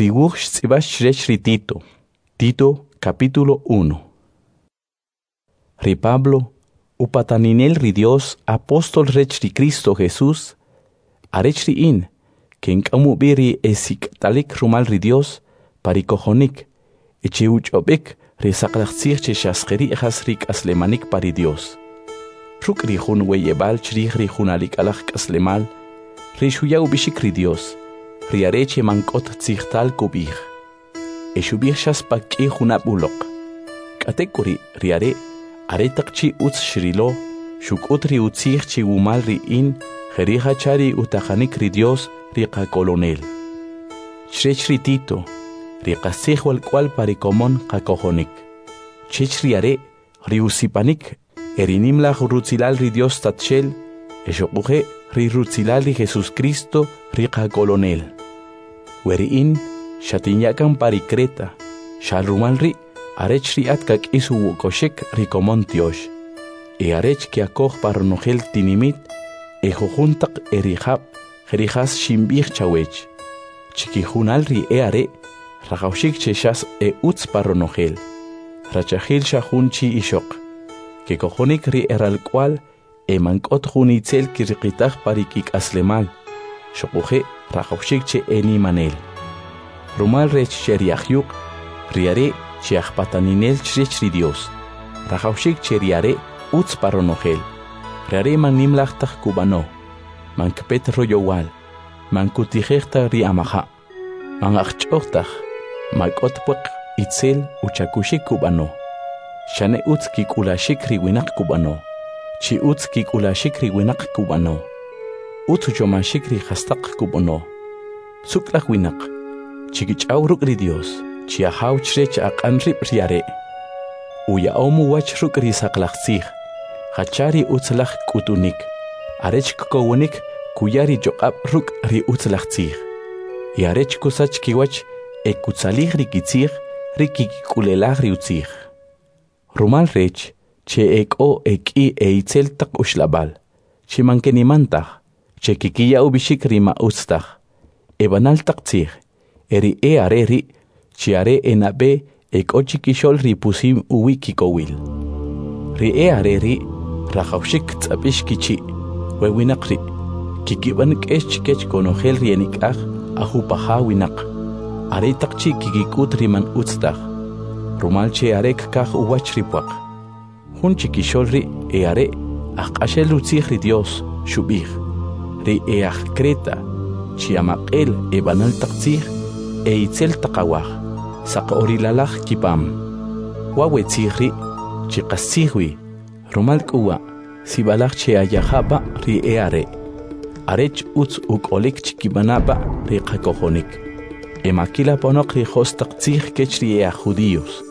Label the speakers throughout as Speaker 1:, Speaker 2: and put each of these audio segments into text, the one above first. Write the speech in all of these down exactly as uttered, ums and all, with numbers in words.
Speaker 1: Ri wuj xtz'ib'ax chrech ri Tito. Tito capítulo uno. Ri Pablo, upataninel ri Dios, apóstol rech ri Cristo Jesús, arech ri in, kenk'am ub'i ri esik'talik rumal ri Dios pa ri kojonik, e che uch'ob'ik ri saqlaj tzij che xas jeri' jas ri k'aslemanik pa ri Dios. Ruk' ri jun weyeb'al chrij ri junalik alaj k'aslemal, ri xuya ub'ixik ri Dios, ri are che man k'ot tzijtal kub'ij. E xub'ij xas pa k'i junab' uloq. K'atek'uri' ri are, are taq chi utz xrilo, xuk'ut ri utzij chi wumal ri in, jeri' jacha ri utaqanik ri Dios ri qakolonel. Chrech ri Tito, ri qastzij walk'wal pa ri komon qakojonik. Chech ri are, ri usipanik, e ri nimlaj rutzilal ri Dios Tatxel, e xuquje' ri rutzilal ri Jesús Cristo ri qakolonel. We ri in, xatinyakan pa ri Creta, xa rumal ri' arech ri at kak'is uwukoxik ri komon tiox, e arech keakoj pa ronojel tinimit, e jujun taq e rijab' jerijas xinb'ij chawech. Chikijunal ri e are, rajawxik che xas e utz pa ronojel, rachajil xa jun chi ixoq, kekojonik ri eralk'wal e man k'ot jun itzel kiriqitaj pa ri kik'aslemal, xuquje' rajawxik che enimanel. Rumal rech che ri ajyuq, ri are che ajpataninel chrech ri Dios, rajawxik che ri are utz pa ronojel, ri are man nimlaj taj kub'ano, man kpet royowal, man kutijej ta ri amaja', man ajch'oj taj, ma k'ot puaq itzel uchakuxik kub'ano, xane utz kik'ulaxik ri winaq kub'ano, chi utz kik'ulaxik ri winaq kub'ano, utz uchomaxik ri jastaq kub'ano, suk'laj winaq, chikich'aw ruk' ri Dios, chi ajaw chrech aq'an rib' ri are'. Uya'om uwach ruk' ri saqlaj tzij, jacha ri utzlaj k'utunik, arech kkowonik kuya ri choq'ab' ruk' ri utzlaj tzij, e arech kusach kiwach e kutzalij ri kitzij ri kik'ulelaj ri utzij. Rumal rech che e k'o e k'i e itzel taq uxlab'al, che man keniman taj, che kikiya ub'ixik ri ma utz taj, e b'anal taq tzij, e ri e are ri' chi are e nab'e e k'o chikixo'l ri pusim uwi' kikowil. Ri e are ri' rajawxik tz'apix kichi', we winaq ri', kikib'an k'ex chikech konojel ri enik'aj ajupaja winaq, are taq chi kikik'ut ri man utz taj, rumal che are kkaj uwach ri puaq. Jun chikixo'l ri e are ajq'axel utzij ri Dios, xub'ij, ri e aj Creta, chi amaq'el e b'anal taq tzij, e itzel taq awaj, saq orilalaj kipam. Wa we tzij ri' chi qastzij wi, rumal k'uwa' sib'alaj che ayajaba' ri e are', arech utz uk'olik chikib'anaba' ri qakojonik. E makila ponoq ri jos taq tzij kech ri e aj judíos,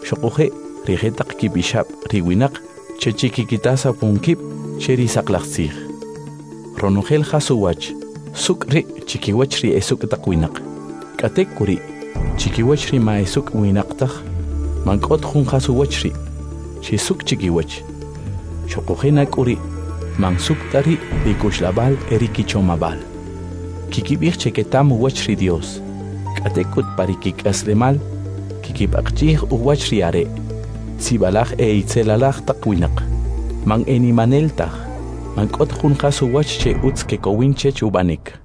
Speaker 1: xuquje' ri jetaq kipixab' ri winaq che chikikitasa punkib' che ri saqlaj tzij. Ronojel jas uwach, suk' ri' chikiwach ri esuk' taq winaq. K'atek'uri', chikiwach ri ma esuk' winaq taj, man k'ot jun jas uwach ri', che suk' chikiwach. Xuquje' nak'uri', man suk' ta ri' ri kuxlab'al e ri kichomab'al. Kikib'ij che ketam uwach ri Dios, k'atek'ut pa ri kik'aslemal, kikib'aqchij uwach ri are', sib'alaj e itzelalaj taq winaq, man enimanel taj, man k'ot jun jas uwach che utz kekowin chech ub'anik.